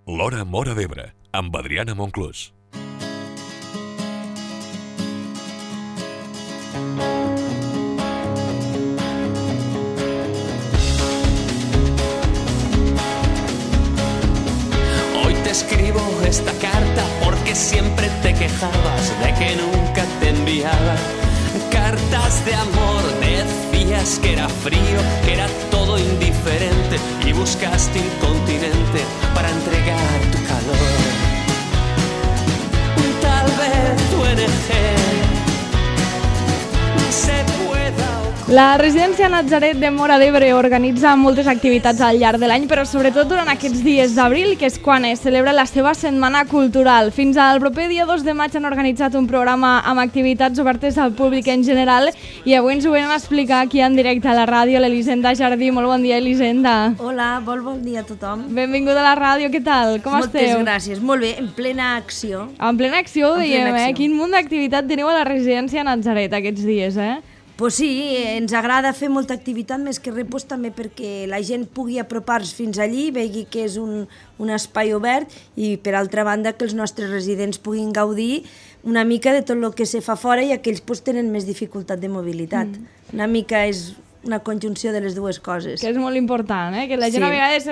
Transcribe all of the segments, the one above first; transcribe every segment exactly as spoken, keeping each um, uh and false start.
L'Hora Móra d'Ebre, amb Adriana Monclús. Hoy te escribo esta carta porque siempre te quejabas de que nunca te enviaba cartas de amor. Decías que era frío, que era todo indiferente y buscaste un continente para entregar tu calor. Tal vez tu N G se pueda... La residència Natzaret de Móra d'Ebre organitza moltes activitats al llarg de l'any, però sobretot durant aquests dies d'abril, que és quan es celebra la seva setmana cultural. Fins al proper dia dos de maig han organitzat un programa amb activitats obertes al públic en general i avui ens ho venen a explicar aquí en directe a la ràdio l'Elisenda Jardí. Molt bon dia, Elisenda. Hola, molt bon dia a tothom. Benvinguda a la ràdio, què tal? Com Moltes esteu? Moltes gràcies, molt bé, en plena acció. En plena acció, en diem, plena eh? acció. Quin munt d'activitat teniu a la residència Natzaret aquests dies, eh? Pues sí, ens agrada fer molta activitat, més que res pues, també perquè la gent pugui apropar-se fins allí, vegi que és un, un espai obert i, per altra banda, que els nostres residents puguin gaudir una mica de tot el que se fa fora i aquells pues, tenen més dificultat de mobilitat. Mm. Una mica és una conjunció de les dues coses. Que és molt important, eh? Que la gent Sí. a vegades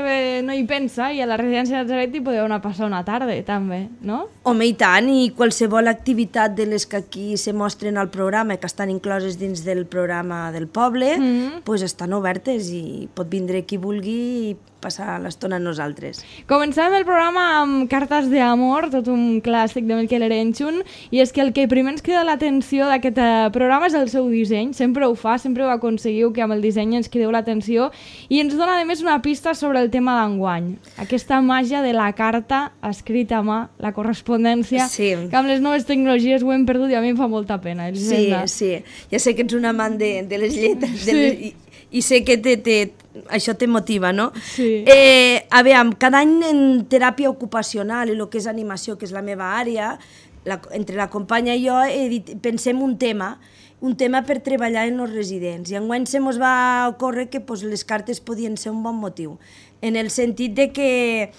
no hi pensa i a la residència de Natzaret hi podeu anar a passar una tarda, també, no? Home, i tant, i qualsevol activitat de les que aquí se mostren al programa, que estan incloses dins del programa del poble, Mm. pues estan obertes i pot vindre qui vulgui i passar l'estona amb nosaltres. Començàvem el programa amb Cartes d'amor, tot un clàssic de Miquel Erenchun, i és que el que primer ens crida l'atenció d'aquest eh, programa és el seu disseny. Sempre ho fa, sempre ho aconseguiu que amb el disseny ens crideu l'atenció i ens dona a més una pista sobre el tema d'enguany. Aquesta màgia de la carta escrita a mà, la correspondència, Sí. que amb les noves tecnologies ho hem perdut i a mi em fa molta pena. Sí, Elisenda. sí. Ja sé que ets un amant de, de les lletres de Sí. les, i, i sé que te, te, això te motiva, no? Sí. Eh, a veure, cada any en teràpia ocupacional i el que és animació, que és la meva àrea, la, entre la companya i jo he dit, pensem un tema, un tema per treballar en els residents. I enguany se mos va ocórrer que pues, les cartes podien ser un bon motiu, en el sentit de que,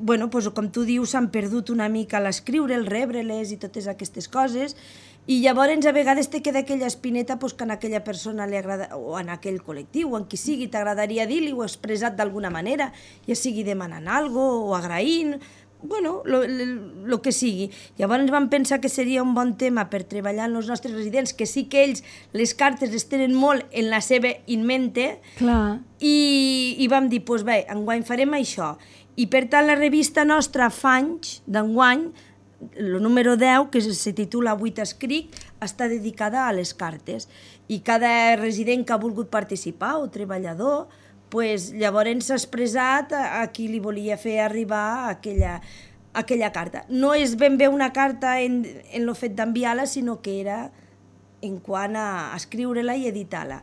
bueno, pues, com tu dius, s'han perdut una mica l'escriure, el rebre-les i totes aquestes coses, i llavors a vegades te queda aquella espineta pues, que a aquella persona li agrada, o en aquell col·lectiu, o en qui sigui, t'agradaria dir-li o expressat d'alguna manera, ja sigui demanant alguna cosa o agraint, bueno, el que sigui. Llavors vam pensar que seria un bon tema per treballar amb els nostres residents, que sí que ells les cartes les tenen molt en la seva in mente, Clar. i, i vam dir, doncs bé, enguany farem això. I per tant la revista nostra fa anys d'enguany, el número deu, que se titula Avui t'escric, està dedicada a les cartes. I cada resident que ha volgut participar, o treballador, pues, llavors s'ha expressat a, a qui li volia fer arribar aquella, aquella carta. No és ben bé una carta en, en el fet d'enviar-la, sinó que era en quant a escriure-la i editar-la.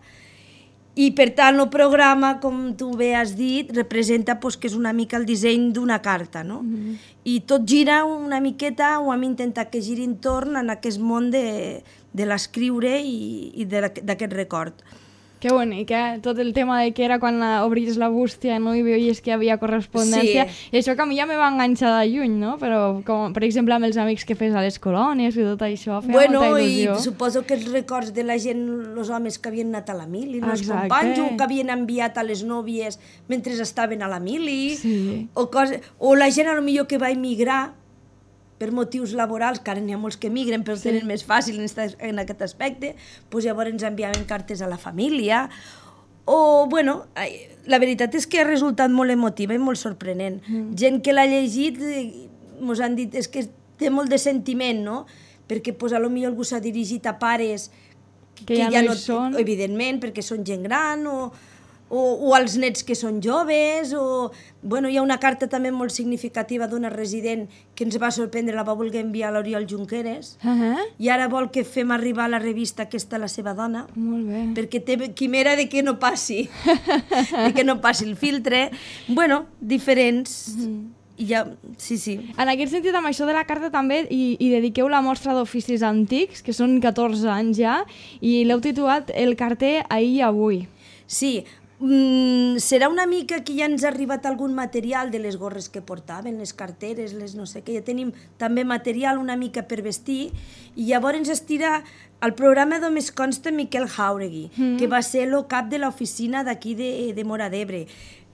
I per tant el programa, com tu bé has dit, representa pues, que és una mica el disseny d'una carta, no? Mm-hmm. I tot gira una miqueta, o hem intentat que giri entorn en aquest món de, de l'escriure i, i d'aquest record. Que bonic, eh? Tot el tema de que era quan obries la bústia, no? I veies que hi havia correspondència. Sí. I això que a mi ja me va enganxar de lluny, no? Però, com, per exemple, amb els amics que fes a les colònies i tot això, feia bueno, molta il·lusió. I suposo que els records de la gent, els homes que havien anat a la mili, els Exacte. companys, o que havien enviat a les nòvies mentre estaven a la mili, Sí. o, cosa, o la gent, potser que va emigrar per motius laborals, que ara n'hi ha molts que emigren, però sí. tenen més fàcil en, esta, en aquest aspecte, doncs llavors ens enviaven cartes a la família, o, bueno, la veritat és que ha resultat molt emotiva i molt sorprenent. Mm. Gent que l'ha llegit ens han dit és que té molt de sentiment, no? Perquè pues, potser algú s'ha dirigit a pares que, que ja, ja no no hi són. Evidentment, perquè són gent gran, o... O, o als nets que són joves, o... Bueno, hi ha una carta també molt significativa d'una resident que ens va sorprendre, la va voler enviar a l'Oriol Junqueras, Uh -huh. i ara vol que fem arribar a la revista aquesta a la seva dona, Molt bé. perquè té quimera de que no passi, de que no passi el filtre. Bueno, diferents... Mm. I ja, sí, sí. En aquest sentit, amb això de la carta també hi, hi dediqueu la mostra d'oficis antics, que són catorze anys ja, i l'heu titulat El carter ahir i avui. Sí, Mm, serà una mica que ja ens ha arribat algun material de les gorres que portaven, les carteres, les no sé què, ja tenim també material una mica per vestir, i llavors estirà el programa només consta Miquel Jauregui, mm. que va ser el cap de l'oficina d'aquí de, de Móra d'Ebre,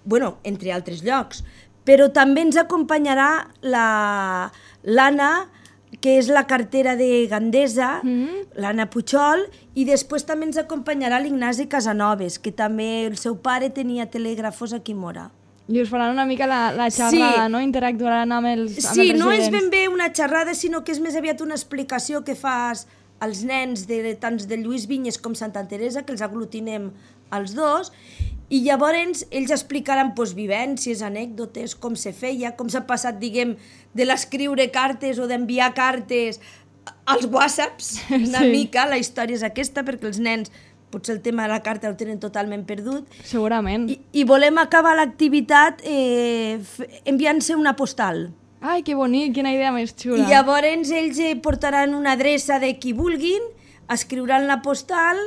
bueno, entre altres llocs, però també ens acompanyarà la, l'Anna, que és la cartera de Gandesa, mm. l'Anna Puigol, i després també ens acompanyarà l'Ignasi Casanovas, que també el seu pare tenia telègrafos aquí a Móra. I us faran una mica la, la xerrada, sí. no? Interactuaran amb els, amb sí, els residents. Sí, no és ben bé una xerrada, sinó que és més aviat una explicació que fas als nens de, tant de Lluís Vinyes com Santa Teresa, que els aglutinem els dos, i llavors ells explicaran pues, vivències, anècdotes, com se feia, com s'ha passat, diguem, de l'escriure cartes o d'enviar cartes als whatsapps, una sí. mica, la història és aquesta, perquè els nens potser el tema de la carta el tenen totalment perdut. Segurament. I, i volem acabar l'activitat eh, enviant-se una postal. Ai, que bonic, quina idea més xula. I llavors ells eh, portaran una adreça de qui vulguin, escriuran la postal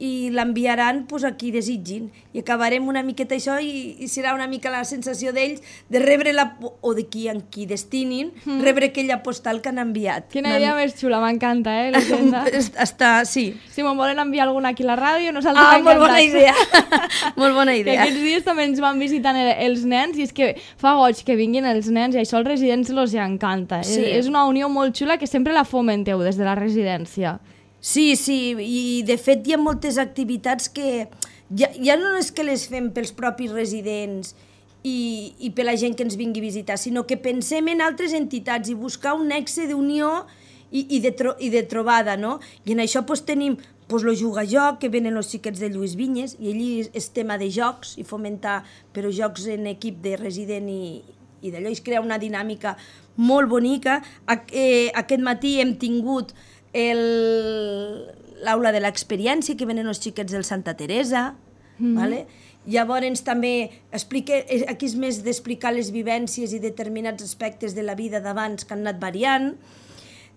i l'enviaran pues, a qui desitgin. I acabarem una miqueta això i, i serà una mica la sensació d'ells de rebre la, o de qui en qui destinin, mm. rebre aquella postal que han enviat. Quina idea una... més xula, m'encanta, eh, l'Hisenda. Està, sí. Si me'n volen enviar alguna aquí a la ràdio, nosaltres ah, encantats. Molt bona idea. Molt bona idea. Que aquests dies també ens van visitant el, els nens i és que fa goig que vinguin els nens i això als residents els encanta. Sí. És, és una unió molt xula que sempre la fomenteu des de la residència. Sí, sí, i de fet hi ha moltes activitats que ja, ja no és que les fem pels propis residents i, i per la gent que ens vingui a visitar, sinó que pensem en altres entitats i buscar un nexe d'unió i, i, de tro, i de trobada, no? I en això pues, tenim pues, lo Juga-Joc, que venen els xiquets de Lluís Vinyes, i allí és tema de jocs i fomentar, però jocs en equip de resident i, i d'allò es crea una dinàmica molt bonica. Eh, aquest matí hem tingut l'aula de l'experiència, que venen els xiquets del Santa Teresa, mm-hmm. vale? Llavors també explique, aquí és més d'explicar les vivències i determinats aspectes de la vida d'abans que han anat variant.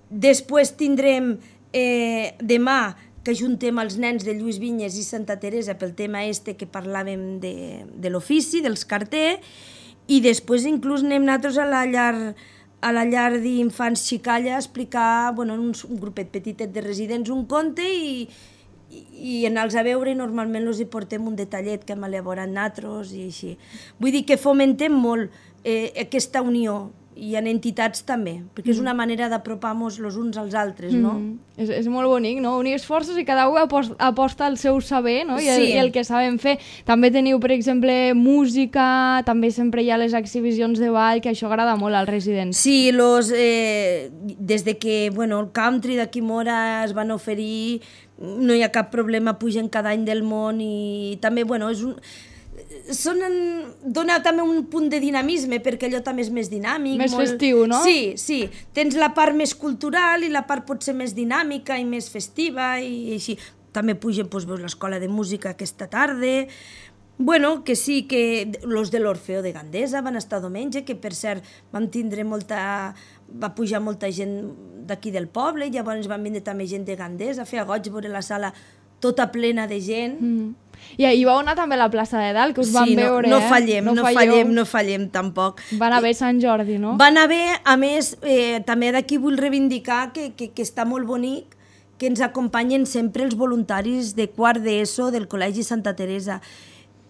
Després tindrem eh, demà que juntem els nens de Lluís Vinyes i Santa Teresa pel tema este que parlàvem de, de l'ofici, dels carters, i després inclús anem nosaltres a la llar a la llar d'infants Xicalla a explicar, bueno, un, un grupet petitet de residents, un conte i, i, i anar-los a veure i normalment els hi portem un detallet que hem elaborat nosaltres i així. Vull dir que fomentem molt eh, aquesta unió i en entitats també, perquè és una manera d'apropar-nos els uns als altres, no? Mm. És, és molt bonic, no? Unir esforços i cada un aposta, aposta el seu saber, no? I el, sí. i el que sabem fer. També teniu, per exemple, música, també sempre hi ha les exhibicions de ball, que això agrada molt als residents. Sí, los, eh, des de que bueno, el country d'aquí Móra es van oferir, no hi ha cap problema, pugen cada any del món i també, bueno, és un... Són en... dona també un punt de dinamisme perquè allò també és més dinàmic. Més molt... festiu, no? Sí, sí. Tens la part més cultural i la part potser més dinàmica i més festiva i així. També pugen, doncs, veus l'escola de música aquesta tarda. Bueno, que sí, que los de l'Orfeo de Gandesa van estar diumenge, que per cert vam tindre molta... va pujar molta gent d'aquí del poble i llavors van vindre també gent de Gandesa, feia goig veure la sala tota plena de gent. Mm. I, I vau anar també a la plaça de Dalt, que us sí, van no, veure, no eh? Fallem, no, no fallem, no fallem tampoc. Van haver Sant Jordi, no? Van haver, a més, eh, també d'aquí vull reivindicar que, que, que està molt bonic que ens acompanyen sempre els voluntaris de quart d'ESO del Col·legi Santa Teresa.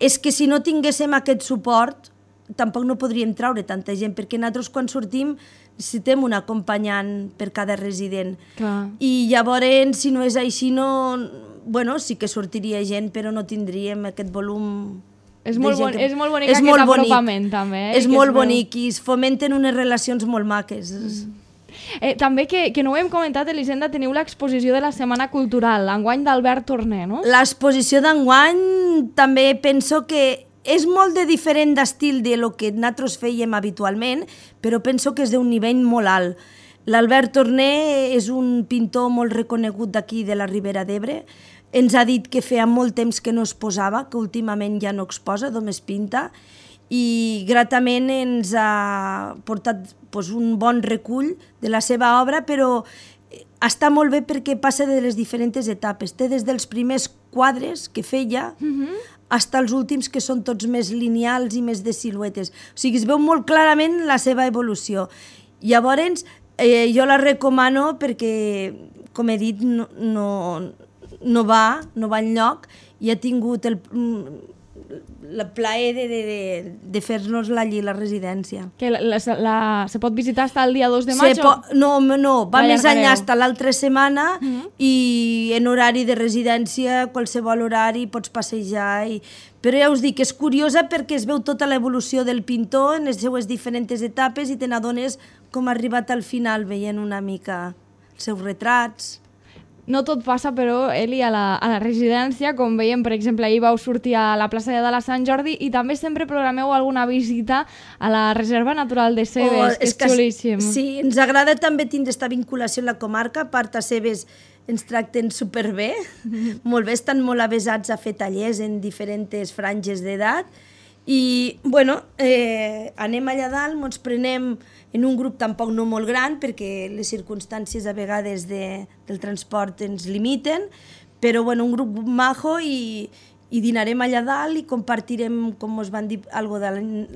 És que si no tinguéssim aquest suport, tampoc no podríem traure tanta gent, perquè nosaltres quan sortim necessitem un acompanyant per cada resident. Clar. I llavors, si no és així, no... Bueno, sí que sortiria gent, però no tindríem aquest volum... És molt, bon, que... és molt bonic és aquest molt apropament, bonic. també. Eh? És molt bonic i es fomenten unes relacions molt maques. Mm. Eh, també, que, que no ho hem comentat, Elisenda, teniu l'exposició de la Setmana Cultural, enguany d'Albert Torné, no? L'exposició d'enguany també penso que és molt de diferent d'estil de lo que nosaltres fèiem habitualment, però penso que és d'un nivell molt alt. L'Albert Torné és un pintor molt reconegut d'aquí de la Ribera d'Ebre. Ens ha dit que feia molt temps que no es posava, que últimament ja no exposa, només pinta, i gratament ens ha portat doncs, un bon recull de la seva obra, però està molt bé perquè passa de les diferents etapes. Té des dels primers quadres que feia uh-huh. fins als últims que són tots més lineals i més de siluetes. O sigui, es veu molt clarament la seva evolució. Llavors, eh, jo la recomano perquè, com he dit, no, no, no va, no va enlloc i ha tingut el... el plaer de, de, de, de fer-nos-la allí, la residència. Que la, la, la, se pot visitar fins al dia dos de maig? Po... No, no, va més enllà fins l'altra setmana mm-hmm. i en horari de residència, qualsevol horari, pots passejar. I... Però ja us dic, és curiosa perquè es veu tota l'evolució del pintor en les seues diferents etapes i te n'adones com ha arribat al final veient una mica els seus retrats. No tot passa, però, Eli, a la, a la residència, com veiem, per exemple, ahir vau sortir a la plaça de la Sant Jordi i també sempre programeu alguna visita a la Reserva Natural de Cebes, oh, que és, és que xulíssim. Sí, ens agrada també tindre aquesta vinculació amb la comarca, a part a Cebes ens tracten superbé, mm-hmm. molt bé, estan molt avesats a fer tallers en diferents franges d'edat i, bueno, eh, anem allà dalt, ens prenem en un grup tampoc no molt gran, perquè les circumstàncies a vegades de, del transport ens limiten, però bueno, un grup majo i, i dinarem allà dalt i compartirem, com us van dir, algo de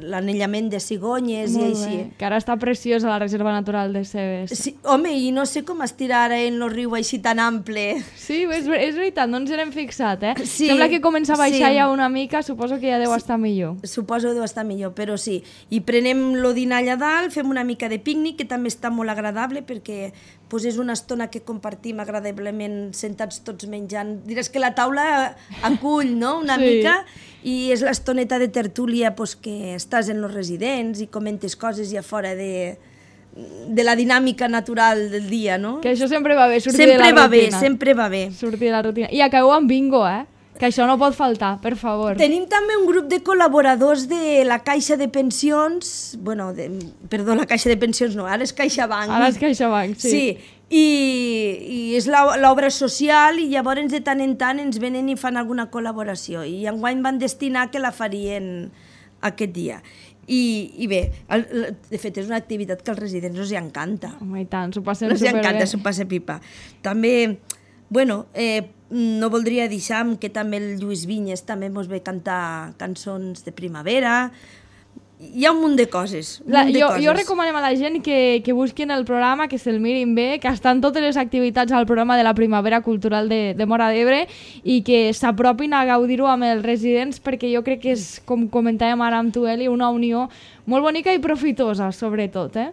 l'anellament de cigonyes molt i així. Bé. Que ara està preciosa la Reserva Natural de Cebes. Sí, home, i no sé com estirà ara en el riu així tan ample. Sí, és, és veritat, no ens n'hem fixat, eh? Sí, sembla que comença a baixar sí. ja una mica, suposo que ja deu sí. estar millor. Suposo que deu estar millor, però sí. I prenem lo dinar allà dalt, fem una mica de pícnic, que també està molt agradable, perquè pues, és una estona que compartim agradablement sentats tots menjant. Diràs que la taula acull, no?, una sí. mica, i és l'estoneta de tertúlia pues, que estàs en els residents i comentes coses ja fora de, de la dinàmica natural del dia, no? Que això sempre va bé, sortir sempre de la va rutina. Bé, sempre va bé. Sortir de la rutina. I acabeu amb bingo, eh? Que això no pot faltar, per favor. Tenim també un grup de col·laboradors de la Caixa de Pensions, bueno, de, perdó, la Caixa de Pensions no, ara és CaixaBank. Ara és CaixaBank, sí. Sí, i, i és l'obra social i llavors de tant en tant ens venen i fan alguna col·laboració i enguany van destinar que la farien aquest dia. I, i bé, el, de fet és una activitat que als residents els encanta. Home, i tant, s'ho passem els superbé. Els encanta, s'ho passa pipa. També, bueno, eh, no voldria deixar que també el Lluís Vinyes també ens ve cantar cançons de primavera. Hi ha un munt de coses. Un la, munt de jo, coses. jo recomanem a la gent que, que busquin el programa, que se'l mirin bé, que estan totes les activitats al programa de la Primavera Cultural de, de Móra d'Ebre i que s'apropin a gaudir-ho amb els residents perquè jo crec que és, com comentàvem ara amb tu, Eli, una unió molt bonica i profitosa, sobretot, eh?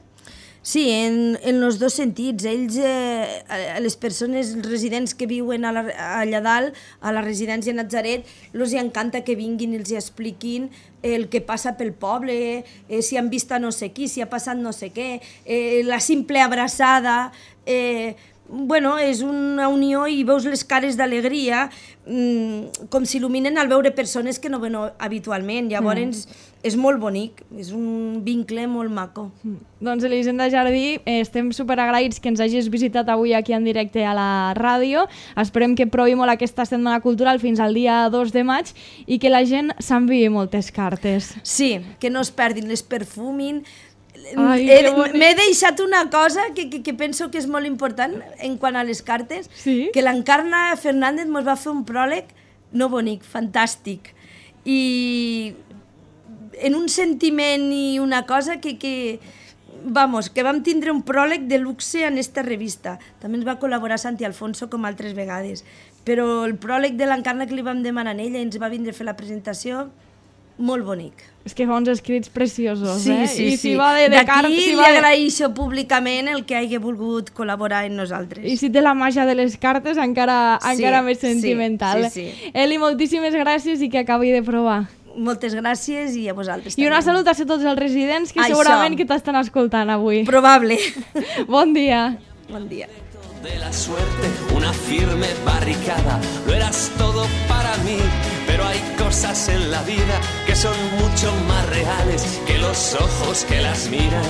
Sí, en, en els dos sentits. Ells, eh, les persones, els residents que viuen a la, allà dalt, a la residència Natzaret, els encanta que vinguin i els expliquin el que passa pel poble, eh, si han vist a no sé qui, si ha passat no sé què, eh, la simple abraçada... Eh, bueno, és una unió i veus les cares d'alegria mmm, com s'il·luminen al veure persones que no ven habitualment. Llavors mm. és molt bonic, és un vincle molt maco. Mm. Doncs Elisenda Jardí, eh, estem superagraïts que ens hagis visitat avui aquí en directe a la ràdio. Esperem que provi molt aquesta setmana cultural fins al dia dos de maig i que la gent s'enviï moltes cartes. Sí, que no es perdin, les perfumin. M'he deixat una cosa que, que, que penso que és molt important en quant a les cartes, sí? que l'Encarna Fernández ens va fer un pròleg no bonic, fantàstic, i en un sentiment i una cosa que, que, vamos, que vam tindre un pròleg de luxe en esta revista. També ens va col·laborar Santi Alfonso com altres vegades, però el pròleg de l'Encarna que li vam demanar a ella i ens va vindre a fer la presentació, molt bonic. És que fa uns escrits preciosos, sí, eh? Sí, I sí. si va de, de D'aquí si li va de... agraeixo públicament el que hagi volgut col·laborar amb nosaltres. I si té la màgia de les cartes, encara, sí, encara més sentimental. Sí, sí, sí. Eli, moltíssimes gràcies i que acabi de provar. Moltes gràcies i a vosaltres I també. una salutació a tots els residents que Això. segurament que t'estan escoltant avui. Probable. Bon dia. Bon dia. De la suerte, una firme barricada, lo eras todo para mí, pero hay cosas en la vida que son mucho más reales que los ojos que las miran.